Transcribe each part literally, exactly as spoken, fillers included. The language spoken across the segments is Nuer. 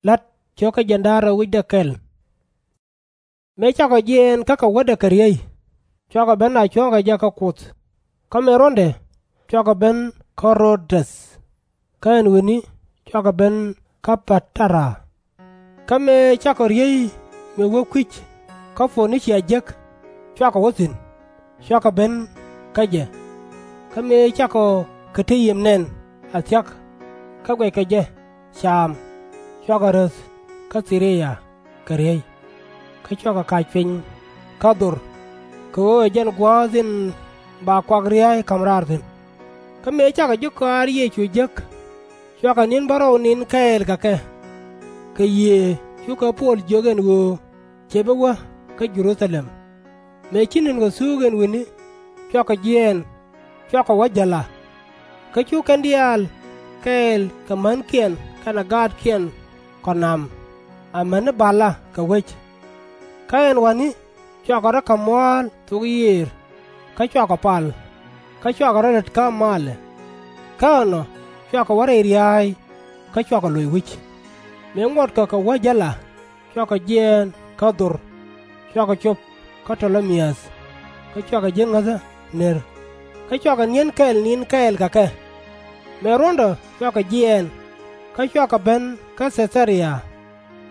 La̱t cio̱kä jiɛɛn da̱ŋ rɛw wi̱cdɛ kɛl. Mëë cakɔ jiɛɛn kä kɛ wädɛ kɛ riey, cua kɔ ben a cuɔ̱ŋ kɛ jɛ kä Kuoth. Kä mëë ruɔ̱ndɛ, cua kɔ ben kä Rö-däth. Kä ɛn wi̱ni cua kɔ ben kä Pa-ta-ra. Kä mëë cakɔ riey mëë wä kui̱c kä Po-ni-cia jek, cua kɔ wä thi̱n, cua kɔ ben kä jɛ. Kä mëë cakɔ Ki-ti-yim nɛn a thia̱k, kä guɛckɔ jɛ caam, cua kɔ räth kä Thi-ri-ya kɛ riey. Kä cua kɔ ka̱c piny kä Dhor, kɛ ɣöö ɛ jɛn gua̱a̱th in ba kuak ria̱a̱c ka̱m raar thi̱n. Kä mëë cakɔ ji̱ kɔaar Yecu jek, cua kɔ ni̱n bärɔw ni̱n kɛɛl kɛ kɛ. Kɛ Yiëë cukɛ Puɔl jiök ɛn ɣöö /cɛ bi wä kä Jɛ-ru-tha-lɛm. Mëë ci ni̱n kɔ thuuk ɛn wi̱ni, cua kɔ jiɛɛn, cua kɔ wä jäl a. Kä cu kɛn diaal kɛɛl kɛ mänkiɛn kɛnɛ gaatkiɛn kɔ na̱m, amäni bal a kɛ wec. Kä ɛn wa̱ni cua kɔ rɔ̱ ka̱m mua̱a̱l thok yiëër, kä cua kɔ pal, kä cua kɔ rɔ̱ lät kä malɛ. Kä ɛnɔ cua kɔ wä rɛy ria̱a̱y, kä cua kɔ loc wi̱c. Mëë ŋuɔtkɔ kɛ wä jäl a, cua kɔ jiɛɛn kä Dhor, cua kɔ cop kä Tɔ-lä-mi-äth, kä cua kɔ ji̱ ŋäthä ner. Kä cua kɔ ni̱en kɛl ni̱n kɛɛl kɛ kɛ. Mëë ruɔ̱ndɛ cua kɔ jiɛɛn, kä cua kɔ ben kä Thɛ-tha-ria.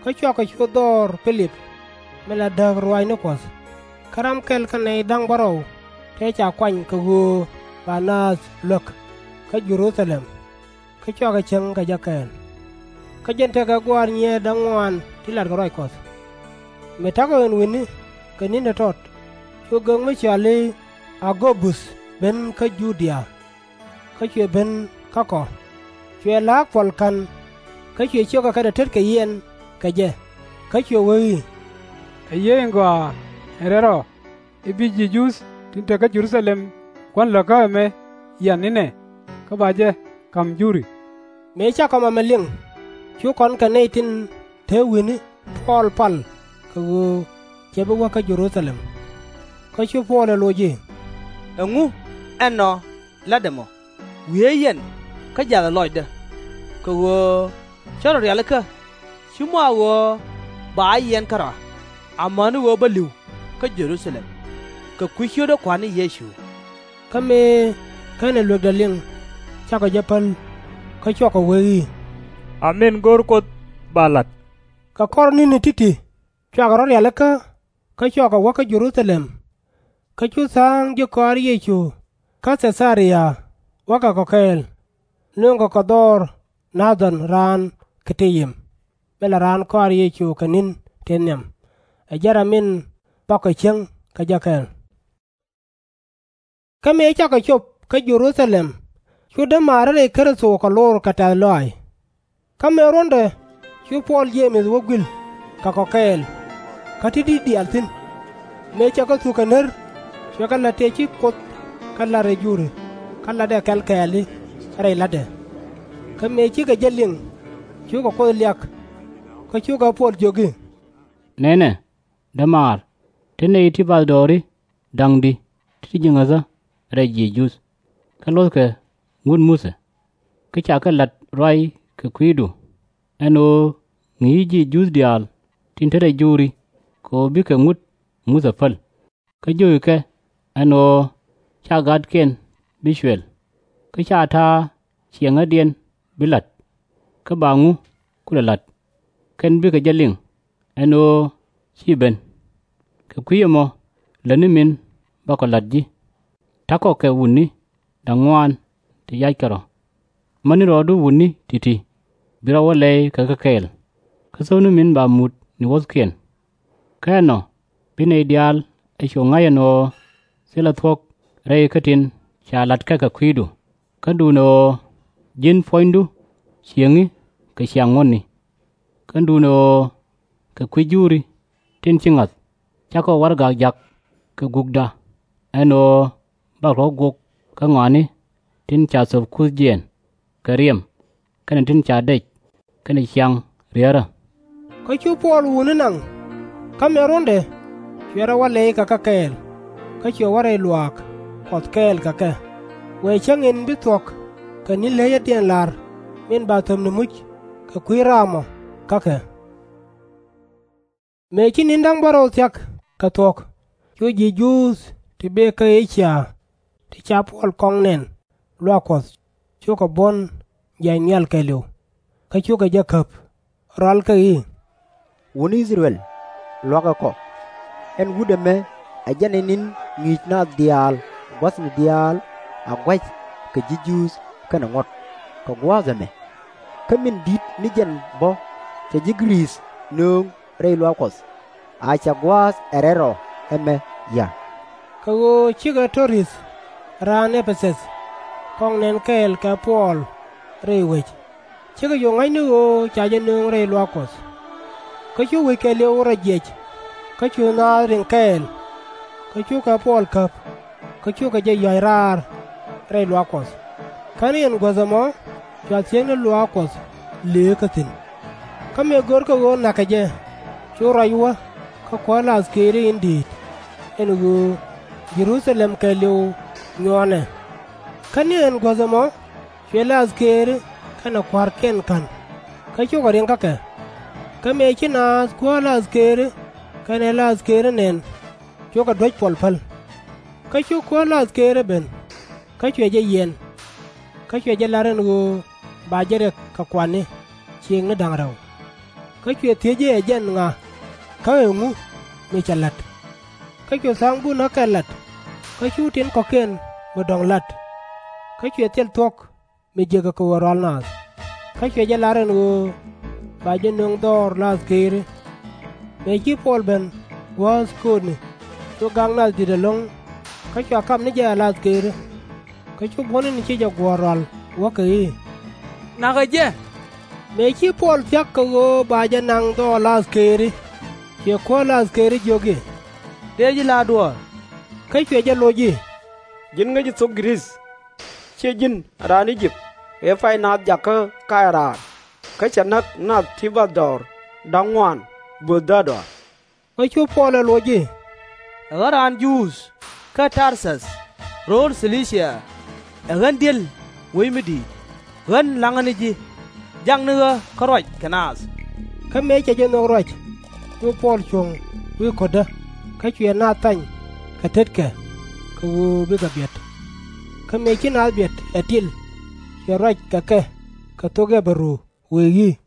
Kä cua kɔ cu dhɔr Pi-lip, min la dääk ruaacni Kuɔth, kä ram kɛl kä nɛy da̱ŋ bärɔw tëë ca kuany kɛ ɣöö ba naath luäk kä Jɛ-ru-tha-lɛm. Kä cua kɔ cieŋ kɛ jɛ kɛɛl. Kä jɛn tekɛ gua̱a̱r nyiee da̱ŋ ŋuaan ti latkɛ ruac Kuɔth. Mëë ta̱kɔ ɛn wi̱ni kɛ ni̱n tɔ̱tɔ̱t, cu gök mi cɔal i̱ A-go-buth ben kä Ju-dia. Kä cuɛ ben kä kɔ, cuɛ la̱a̱k puɔl ka̱n. Kä cuɛ ciökɛ kɛnɛ tetkɛ yiɛn kɛ jɛ, kä cuɛ wee i̱, Ɛ yee in gɔaa ɛn rɛl rɔ i̱ bi ji̱ Juudh tin te kä Jɛ-ru-tha-lɛm kuän lätkä ɛmɛ yian inɛ, kä ba jɛ ka̱m juri? Mëë cakɔ mamɛ liŋ, cu kɔn kɛ nɛy tin te wi̱ni Puɔl pal kɛ ɣöö /cɛ bi wä kä Jɛ-ru-tha-lɛm. Kä cu Puɔl ɛ loc i̱, Ɛŋu ɛnɔ latdɛ mɔ? Wieec yɛn kä ja̱thɛ lɔcdä. Kɛ ɣöö cä rɔ rialikä /ci mɔ a ɣöö ba yiɛn kärɔa, amäni ɣöö bä li̱w kä Jɛ-ru-tha-lɛm kɛ kui̱ ciötdä Kua̱r ni Yecu. Kä mëë /kenɛ luekdɛ liŋ, cakɔ jɛ päl, kä cuakɔ wee i̱, A min go̱r Kuoth ba la̱t. Kɛ kɔr ni̱ni ti̱ti̱ cua kɔ rɔ̱ rialikä, kä cua kɔ wä kä Jɛ-ru-tha-lɛm. Kä cu tha̱a̱ŋ ji̱ kɔaar Yecu kä Thɛ-tha-ria wäkɛ kɔ kɛɛl, nööŋkɛ kɔ dhɔr Na-than raan Ki-ti-yim, min la raan kɔaar Yecu kɛ ni̱n tëë nhiam. Ɛ jɛn ram in bakɔ cieŋ kɛ jɛ kɛɛl. Kä mëë cakɔ cop kä Jɛ-ru-tha-lɛm, cu dämaarä rɛy Kritho kɔ lor kɛ tɛ̈th lɔaac. Kä mëë ruɔ̱ndɛ, cu Puɔl Jee-mɛth wä gui̱l kɛ kɔ kɛɛl, kä te di̱t diaal thi̱n. Mëë cɛ kɛ thuk kɛ ner, cuɛ kɛ la̱t tëë ci Kuoth kɛ la̱t rɛy juri, kä latdɛ kɛl kɛɛli rɛy la̱tdɛ. Kä mëë cikɛ jɛ liŋ, cukɛ Kuoth liak, kä cukɛ Puɔl jiök i̱, Nɛnɛ, dämaar, te nɛy ti bathdɔɔri da̱ŋ di ti te ji̱ ŋäthä rɛy ji̱ Juudh, kä luɔ̱thkɛ ŋut Muthɛ. Kä ca kɛ la̱t ruac kɛ kui̱du, ɛn ɣöö ŋi̱i̱c ji̱ Juudh diaal tin te rɛy juri kɛ ɣöö bikɛ ŋut Muthɛ päl. Kä jio̱kɛ kɛ ɛn ɣöö /ca gatkiɛn bi cuɛl, kä /ca ta̱a̱ ciɛŋädiɛn bi la̱t. Kä ba ŋu kulɛ la̱t, kɛn bikɛ jɛ liŋ, ɛn ɣöö /ci ben. Kɛ kui̱ ɛmɔ lätni min bakɔ la̱t ji̱. Ta̱kɔ kɛ wutni da̱ŋ ŋuaan ti yackɛ rɔ. Mätni rɔɔdu wutni ti̱ti̱, bi rɔ wä lɛy kɛ kɛ kɛɛl, kä thöpni min ba mut ni wuɔ̱thkiɛn. Kä ɛnɔ bi nɛy diaal ɛ cu ŋa̱c ɛn ɣöö thilɛ thuɔ̱k rɛy kä tin ca la̱tkɛ kɛ kui̱du, kä duundɛ ɣöö ji̱n puɔ̱nydu ciëŋi kɛ ciaŋ ŋuɔ̱tni. Kä duundɛ ɣöö kɛ kui̱ juri tin ci ŋa̱th, cakɔ warɛgak jak kɛ gukda, ɛn ɣöö bak rɔ̱ guɔk kä ŋɔaani tin ca thöp kuth jiɛɛn kɛ riɛm, kɛnɛ tin ca dɛc kɛnɛ ciaŋ riärä. Kä cu Puɔl wutni naŋ. Kä mëë ruɔ̱ndɛ, cuɛ rɔ wä lɛy kɛ kɛ kɛɛl, kä cuɛ wä rɛy luaak Kuɔth kɛɛl kɛ kɛ, wëë cäŋ in bi thuɔ̱k kɛ ni̱n le̱cädiɛn la̱r min ba thöpni muc kɛ kui̱ raam ɔ. kä kɛ. Mëë ci ni̱n da̱ŋ bärɔw thia̱k kɛ thuɔ̱k, cu ji̱ Juudh ti bëë kä Ee-cia ti ca Puɔl kɔŋ nɛn luaak Kuɔth, cukɛ buɔ̱n jiac nhial kɛɛliw, kä cukɛ jɛ käp, rɔalkɛ i̱, Wutni I-thɛ-rɛl, lua̱kɛ kɔ! Ɛn wut ɛmɛ ɛ jɛn ɛ ni̱n ŋi̱i̱c naath diaal gua̱thni diaal a gua̱c kɛ ji̱ Juudh kɛnɛ ŋuɔ̱t kɛ gua̱a̱th ɛmɛ. Kä min di̱t ni jɛn bä cɛ ji̱ Gɛ-rith nööŋ rɛy luaak Kuɔth, a cɛ gua̱a̱th ɛ rɛl rɔ ɛmɛ ya̱. Kɛ ɣöö cikɛ Tɔ-rith raan Ɛ-pɛ-thäth kɔŋ nɛn kɛɛl kɛ Puɔl rɛy wec, cikɛ cu ŋa̱c ni ɣöö ca jɛ nööŋ rɛy luaak Kuɔth. Kä cu wec kɛɛliw rɔ jiɛc, kä cu naath riŋ kɛɛl, kä cukɛ Puɔl käp, kä cukɛ jɛ ya̱c raar rɛy luaak Kuɔth. Kä ni ɛn guäth ɛmɔ cua thiekni luaak Kuɔth leekä thi̱n. Kä mëë görkɛ ɣöö na̱kɛ jɛ, cu ruac wä kä kuäär la̱thkëëri in di̱i̱t, ɛn ɣöö Jɛ-ru-tha-lɛm kɛɛliw nyuɔɔnɛ. Kä ni ɛn guäth ɛmɔ cuɛ la̱thkëëri kɛnɛ kua̱rkiɛn ka̱n, kä cukɛ riŋ kä kɛ. Kä mëë ci naath kuäär la̱thkëëri kɛnɛ la̱thkëëri nɛn, cukɛ duäc Puɔl päl. Kä cu kuäär la̱thkëëri ben, kä cuɛ jɛ yiɛn, kä cuɛ jɛ lar ɛn ɣöö ba jɛ riɛk kɛ kuatni ciëŋni da̱ŋ rɛw. Kä cuɛ thiec i̱, Ɛ jɛn ŋa, kä ɛŋu mi cɛ la̱t? Kä cu tha̱a̱ŋ bunäkɛ lat, kä cu tin kɔ̱kiɛn mi dɔ̱ŋ la̱t. Kä cuɛ thil thuɔ̱k mi jiäkä kɛ ɣöö rual naath, kä cuɛ jɛ lar ɛn ɣöö ba jɛ nöŋ dhɔr la̱thkëëri. Mëë ci Puɔl ben gua̱a̱th köötni, cu gak nath di̱t ɛlɔ̱ŋ, kä cua kap ni jɛ a la̱thkëëri. Kä cu buɔ̱n in ci jɛ guɔ̱ɔ̱r rual wäkɛ i̱, Na̱kɛ jɛ! Mëë ci Puɔl thia̱k kɛ ɣöö ba jɛ naŋ dhɔr la̱thkëëri, cuɛ kuäär la̱thkëëri jiök i̱, Tëë ji̱ la̱r duɔ̱ɔ̱r. Kä cuɛ jɛ loc i̱, Ji̱n ŋäci thok Gɛ-rith, /ciɛ ji̱n raan I-jëp ëë pay naath jakä Kay-raar, kä cɛ näk nath ti bathdɔɔr da̱ŋ ŋuan böth däär dɔaar? Kä cu Puɔl ɛ loc i̱, Ɛ ɣän raan Juudh kä Tar-thäth, rööl Thil-i-cia, ɛ ɣän di̱el wec mi di̱i̱t, ɣän la̱ŋä ni ji̱, jakni ɣä kä ruac kɛ naath. Kä mëë cɛ jɛ nhök ruac, cu Puɔl cuɔ̱ŋ wi̱i̱ ko̱tdä, kä cuɛ naath thany kɛ tetkɛ kɛ ɣöö bikɛ biɛt. Kä mëë ci naath biɛt ɛ til, cuɛ ruac kɛ kɛ kɛ thok Ɣi-bɛ-ru, wëë i̱,